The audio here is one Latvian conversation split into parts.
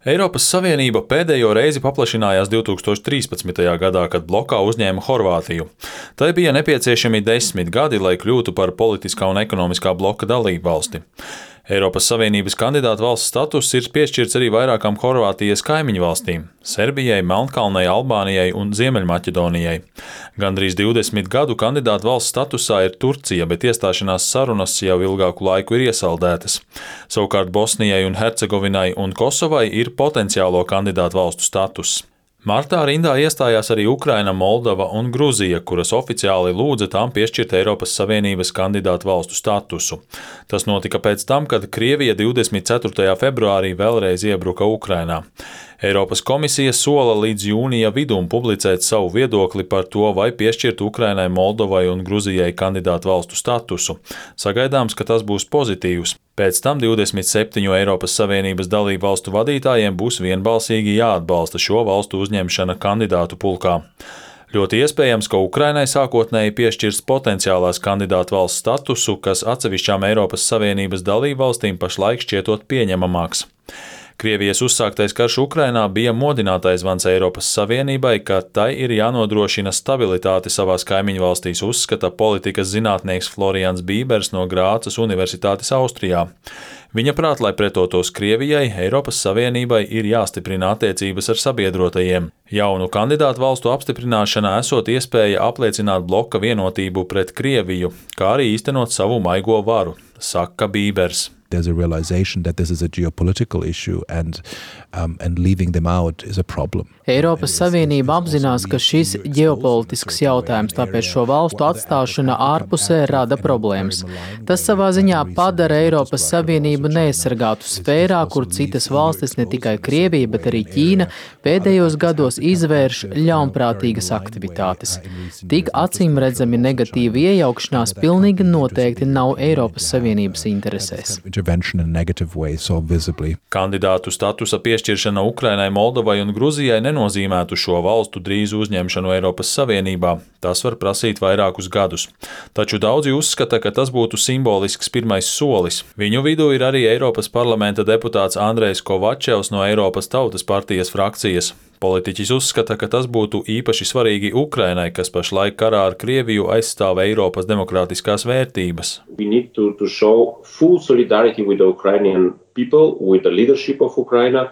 Eiropas Savienība pēdējo reizi paplašinājās 2013. gadā, kad blokā uzņēma Horvātiju. Tai bija nepieciešami 10 gadi, lai kļūtu par politiskā un ekonomiskā bloka dalībvalsti. Eiropas Savienības kandidātu valsts status ir piešķirts arī vairākām Horvātijas kaimiņu valstīm – Serbijai, Melnkalnei, Albānijai un Ziemeļmaķedonijai. Gandrīz 20 gadu kandidātu valsts statusā ir Turcija, bet iestāšanās sarunas jau ilgāku laiku ir iesaldētas. Savukārt Bosnijai un Hercegovinai un Kosovai ir potenciālo kandidātu valstu status. Martā rindā iestājās arī Ukraina, Moldova un Gruzija, kuras oficiāli lūdza tām piešķirt Eiropas Savienības kandidātu valstu statusu. Tas notika pēc tam, kad Krievija 24. februārī vēlreiz iebruka Ukrainā. Eiropas komisija sola līdz jūnija vidum publicēt savu viedokli par to, vai piešķirt Ukrainai, Moldovai un Gruzijai kandidātu valstu statusu. Sagaidāms, ka tas būs pozitīvs. Pēc tam 27 Eiropas Savienības dalību valstu vadītājiem būs vienbalsīgi jāatbalsta šo valstu uzņemšana kandidātu pulkā. Ļoti iespējams, ka Ukrainai sākotnēji piešķirs potenciālās kandidātu valsts statusu, kas atsevišķām Eiropas Savienības dalību valstīm pašlaik šķietot pieņemamāks. Krievijas uzsāktais karš Ukrainā bija modinātais zvans Eiropas Savienībai, ka tai ir jānodrošina stabilitāte savās kaimiņu valstīs, uzskata politikas zinātnieks Florians Bībers no Grācas Universitātes Austrijā. Viņa prāt, lai pretotos Krievijai, Eiropas Savienībai ir jāstiprina attiecības ar sabiedrotajiem. Jaunu kandidātu valstu apstiprināšanā esot iespēja apliecināt bloka vienotību pret Krieviju, kā arī īstenot savu maigo varu, saka Bībers. There's a realization that this is a geopolitical issue and leaving them out is a problem. Eiropas Savienība apzinās, ka šis ģeopolitisks jautājums, tāpēc šo valstu atstāšana ārpusē rada problēmas. Tas savā ziņā padara Eiropas Savienību neaizsargātu sfērā, kur citas valstis, ne tikai Krievija, bet arī Ķīna, pēdējos gados izvērš ļaunprātīgas aktivitātes. Tik acīmredzami negatīva iejaukšanās pilnīgi noteikti nav Eiropas Savienības interesēs. Kandidātu statusa piešķiršana Ukrainai, Moldovai un Gruzijai nenozīmētu šo valstu drīzu uzņemšanu Eiropas Savienībā. Tas var prasīt vairākus gadus. Taču daudzi uzskata, ka tas būtu simbolisks pirmais solis. Viņu vidū ir arī Eiropas parlamenta deputāts Andrejs Kovačevs no Eiropas Tautas partijas frakcijas. Politiķis uzskata, ka tas būtu īpaši svarīgi Ukrainai, kas pašlaik karā ar Krieviju aizstāv Eiropas demokrātiskās vērtības. We need to show full solidarity with the Ukrainian people, with the leadership of Ukraine.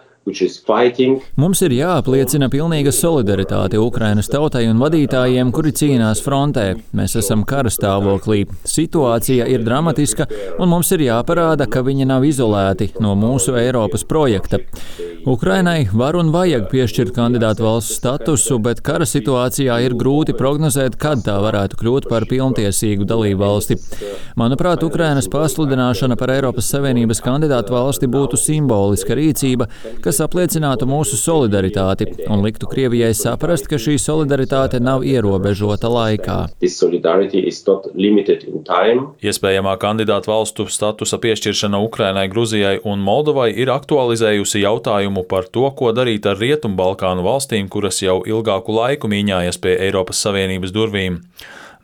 Mums ir jāapliecina pilnīga solidaritāte Ukrainas tautai un vadītājiem, kuri cīnās frontē. Mēs esam kara stāvoklī. Situācija ir dramatiska, un mums ir jāparāda, ka viņi nav izolēti no mūsu Eiropas projekta. Ukrainai var un vajag piešķirt kandidātu valsts statusu, bet kara situācijā ir grūti prognozēt, kad tā varētu kļūt par pilntiesīgu dalību valsti. Manuprāt, Ukrainas pasludināšana par Eiropas Savienības kandidātu valsti būtu simboliska rīcība, kas apliecinātu mūsu solidaritāti un liktu Krievijai saprast, ka šī solidaritāte nav ierobežota laikā. Iespējamā kandidātu valstu statusa piešķiršana Ukrainai, Gruzijai un Moldovai ir aktualizējusi jautājumu par to, ko darīt ar Rietumbalkānu valstīm, kuras jau ilgāku laiku mīņājas pie Eiropas Savienības durvīm.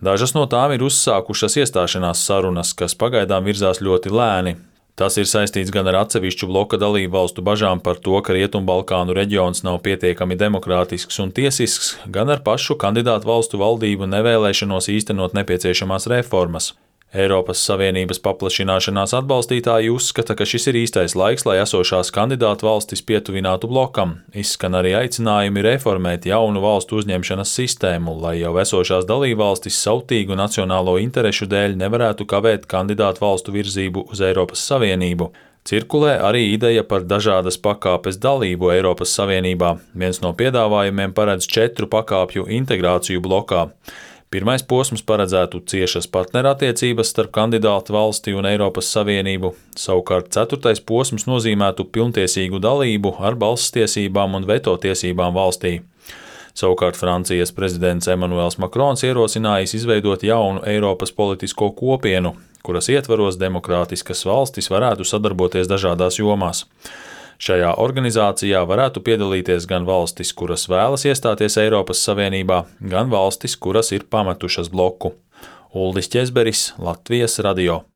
Dažas no tām ir uzsākušas iestāšanās sarunas, kas pagaidām virzās ļoti lēni. Tas ir saistīts gan ar atsevišķu bloka dalību valstu bažām par to, ka Rietumbalkānu reģions nav pietiekami demokrātisks un tiesisks, gan ar pašu kandidātu valstu valdību nevēlēšanos īstenot nepieciešamās reformas. Eiropas Savienības paplašināšanās atbalstītāji uzskata, ka šis ir īstais laiks, lai esošās kandidātu valstis pietuvinātu blokam. Izskan arī aicinājumi reformēt jaunu valstu uzņemšanas sistēmu, lai jau esošās dalībvalstis sautīgu nacionālo interešu dēļ nevarētu kavēt kandidātu valstu virzību uz Eiropas Savienību. Cirkulē arī ideja par dažādas pakāpes dalību Eiropas Savienībā. Viens no piedāvājumiem paredz 4 pakāpju integrāciju blokā. Pirmais posms paredzētu ciešas partnerattiecības starp kandidātu valsti un Eiropas Savienību, savukārt 4. posms nozīmētu pilntiesīgu dalību ar balsstiesībām un veto tiesībām valstī. Savukārt Francijas prezidents Emmanuels Macrons ierosinājis izveidot jaunu Eiropas politisko kopienu, kuras ietvaros demokrātiskas valstis varētu sadarboties dažādās jomās. Šajā organizācijā varētu piedalīties gan valstis, kuras vēlas iestāties Eiropas Savienībā, gan valstis, kuras ir pametušas bloku. Uldis Ķezberis, Latvijas radio.